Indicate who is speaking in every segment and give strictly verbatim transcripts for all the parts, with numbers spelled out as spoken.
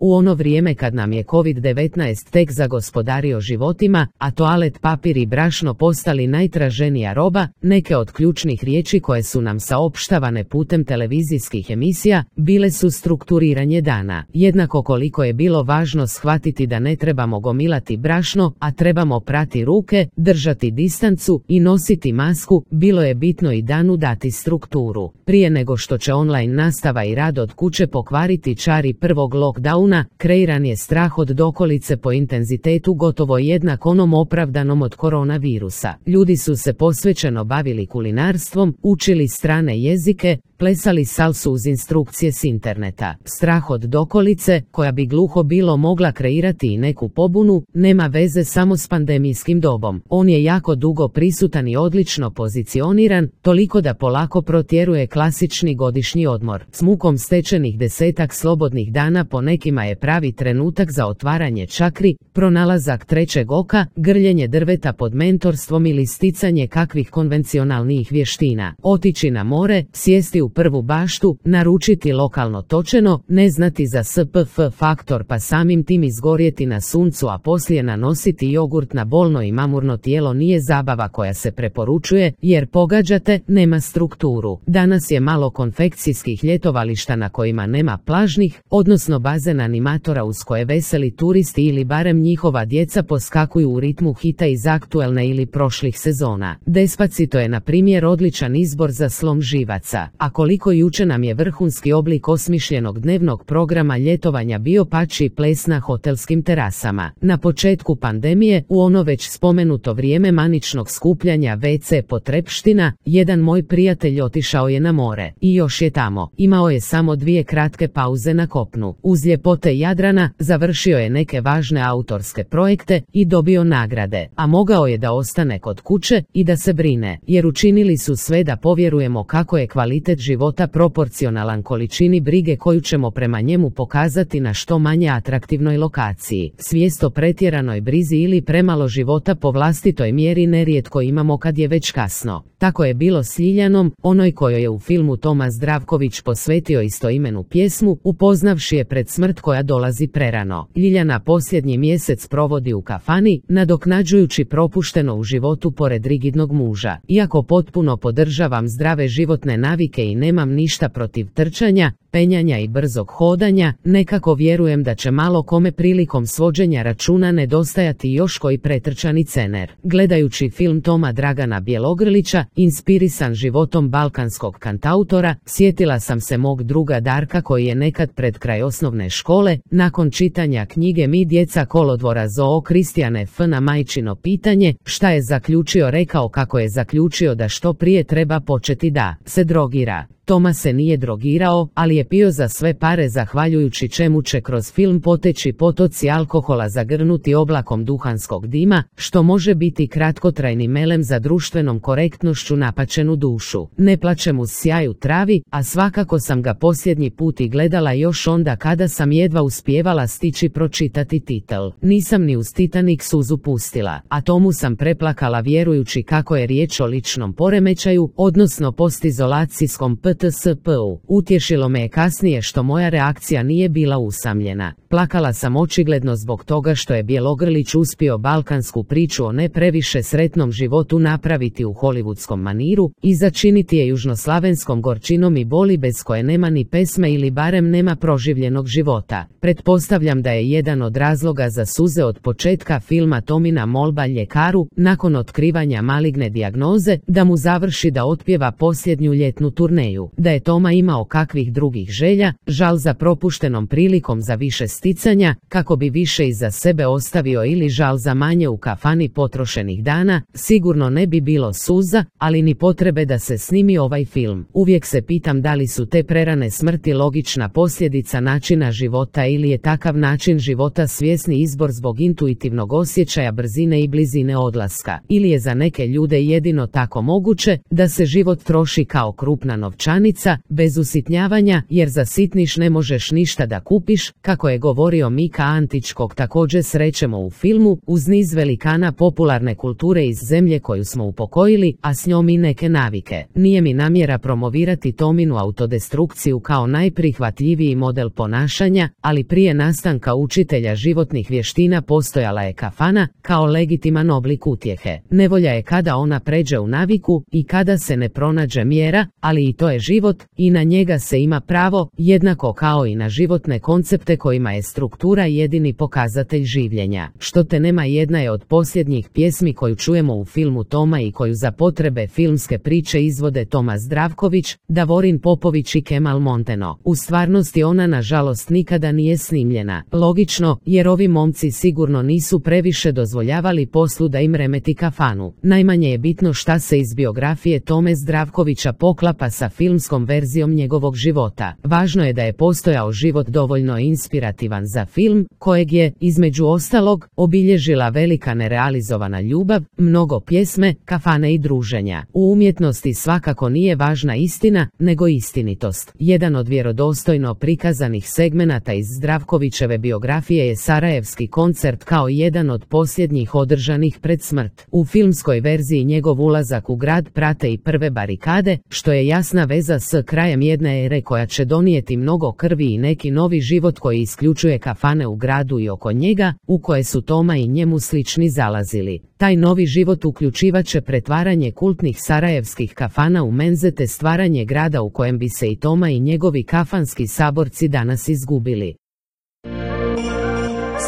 Speaker 1: U ono vrijeme kad nam je kovid devetnaest tek zagospodario životima, a toalet papir i brašno postali najtraženija roba, neke od ključnih riječi koje su nam saopštavane putem televizijskih emisija bile su strukturiranje dana. Jednako koliko je bilo važno shvatiti da ne trebamo gomilati brašno, a trebamo prati ruke, držati distancu i nositi masku, bilo je bitno i danu dati strukturu. Prije nego što će online nastava i rad od kuće pokvariti čari prvog lockdowna, kreiran je strah od dokolice po intenzitetu gotovo jednak onom opravdanom od koronavirusa. Ljudi su se posvećeno bavili kulinarstvom, učili strane jezike, plesali salsu uz instrukcije s interneta. Strah od dokolice, koja bi gluho bilo mogla kreirati i neku pobunu, nema veze samo s pandemijskim dobom. On je jako dugo prisutan i odlično pozicioniran, toliko da polako protjeruje klasični godišnji odmor. S mukom stečenih desetak slobodnih dana po nekima je pravi trenutak za otvaranje čakri, pronalazak trećeg oka, grljenje drveta pod mentorstvom ili sticanje kakvih konvencionalnijih vještina. Otići na more, sjesti u prvu baštu, naručiti lokalno točeno, ne znati za S P F faktor pa samim tim izgorjeti na suncu, a poslije nanositi jogurt na bolno i mamurno tijelo nije zabava koja se preporučuje, jer pogađate, nema strukturu. Danas je malo konfekcijskih ljetovališta na kojima nema plažnih, odnosno bazen animatora uz koje veseli turisti ili barem njihova djeca poskakuju u ritmu hita iz aktuelne ili prošlih sezona. Despacito je na primjer odličan izbor za slom živaca, a koliko juče nam je vrhunski oblik osmišljenog dnevnog programa ljetovanja bio pači ples na hotelskim terasama. Na početku pandemije, u ono već spomenuto vrijeme maničnog skupljanja ve ce potrepština, jedan moj prijatelj otišao je na more. I još je tamo. Imao je samo dvije kratke pauze na kopnu. Uz ljepote Jadrana, završio je neke važne autorske projekte i dobio nagrade, a mogao je da ostane kod kuće i da se brine, jer učinili su sve da povjerujemo kako je kvalitet života proporcionalan količini brige koju ćemo prema njemu pokazati na što manje atraktivnoj lokaciji. Svijest o pretjeranoj brizi ili premalo života po vlastitoj mjeri nerijetko imamo kad je već kasno. Tako je bilo s Ljiljanom, onoj kojoj je u filmu Toma Zdravković posvetio istoimenu pjesmu, upoznavši je pred smrt koja dolazi prerano. Ljiljana posljednji mjesec provodi u kafani, nadoknađujući propušteno u životu pored rigidnog muža. Iako potpuno podržavam zdrave životne navike i nemam ništa protiv trčanja, penjanja i brzog hodanja, nekako vjerujem da će malo kome prilikom svođenja računa nedostajati još koji pretrčani cener. Gledajući film Toma Dragana Bjelogrlića, inspirisan životom balkanskog kantautora, sjetila sam se mog druga Darka koji je nekad pred kraj osnovne škole, nakon čitanja knjige Mi djeca kolodvora Zoo Kristijane F. na majčino pitanje, šta je zaključio, rekao kako je zaključio da što prije treba početi da se drogira. Toma se nije drogirao, ali je pio za sve pare, zahvaljujući čemu će kroz film poteći potoci alkohola zagrnuti oblakom duhanskog dima, što može biti kratkotrajni melem za društvenom korektnošću napačenu dušu. Ne plačem uz sjaj u travi, a svakako sam ga posljednji put i gledala još onda kada sam jedva uspijevala stići pročitati titel. Nisam ni uz Titanic suzu pustila, a Tomu sam preplakala vjerujući kako je riječ o ličnom poremećaju, odnosno postizolacijskom P T S P-u. Utješilo me je kasnije što moja reakcija nije bila usamljena. Plakala sam očigledno zbog toga što je Bjelogrlić uspio balkansku priču o ne previše sretnom životu napraviti u hollywoodskom maniru i začiniti je južnoslavenskom gorčinom i boli bez koje nema ni pesme ili barem nema proživljenog života. Pretpostavljam da je jedan od razloga za suze od početka filma Tomina molba ljekaru, nakon otkrivanja maligne dijagnoze, da mu završi da otpjeva posljednju ljetnu turneju. Da je Toma imao kakvih drugih želja, žal za propuštenom prilikom za više sticanja, kako bi više iza sebe ostavio, ili žal za manje u kafani potrošenih dana, sigurno ne bi bilo suza, ali ni potrebe da se snimi ovaj film. Uvijek se pitam da li su te prerane smrti logična posljedica načina života ili je takav način života svjesni izbor zbog intuitivnog osjećaja brzine i blizine odlaska, ili je za neke ljude jedino tako moguće da se život troši kao krupna novčanica klanica, bez usitnjavanja, jer za sitniš ne možeš ništa da kupiš, kako je govorio Mika Antić, kog također srećemo u filmu, uz niz velikana popularne kulture iz zemlje koju smo upokojili, a s njom i neke navike. Nije mi namjera promovirati Tominu autodestrukciju kao najprihvatljiviji model ponašanja, ali prije nastanka učitelja životnih vještina postojala je kafana, kao legitiman oblik utjehe. Nevolja je kada ona pređe u naviku i kada se ne pronađe mjera, ali i to je život i na njega se ima pravo, jednako kao i na životne koncepte kojima je struktura jedini pokazatelj življenja. Što te nema jedna je od posljednjih pjesmi koju čujemo u filmu Toma i koju za potrebe filmske priče izvode Toma Zdravković, Davorin Popović i Kemal Monteno. U stvarnosti ona nažalost nikada nije snimljena. Logično, jer ovi momci sigurno nisu previše dozvoljavali poslu da im remeti kafanu. Najmanje je bitno šta se iz biografije Tome Zdravkovića poklapa sa filmskom verzijom njegovog života. Važno je da je postojao život dovoljno inspirativan za film, kojeg je, između ostalog, obilježila velika nerealizovana ljubav, mnogo pjesme, kafane i druženja. U umjetnosti svakako nije važna istina, nego istinitost. Jedan od vjerodostojno prikazanih segmenata iz Zdravkovićeve biografije je Sarajevski koncert kao jedan od posljednjih održanih pred smrt. U filmskoj verziji njegov ulazak u grad prate i prve barikade, što je jasna veza s krajem jedne ere koja će donijeti mnogo krvi i neki novi život koji isključuje kafane u gradu i oko njega, u koje su Toma i njemu slični zalazili. Taj novi život uključivaće pretvaranje kultnih sarajevskih kafana u menze te stvaranje grada u kojem bi se i Toma i njegovi kafanski saborci danas izgubili.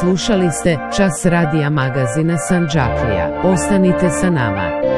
Speaker 1: Slušali ste Čas radija magazina Sandžaklija. Ostanite sa nama.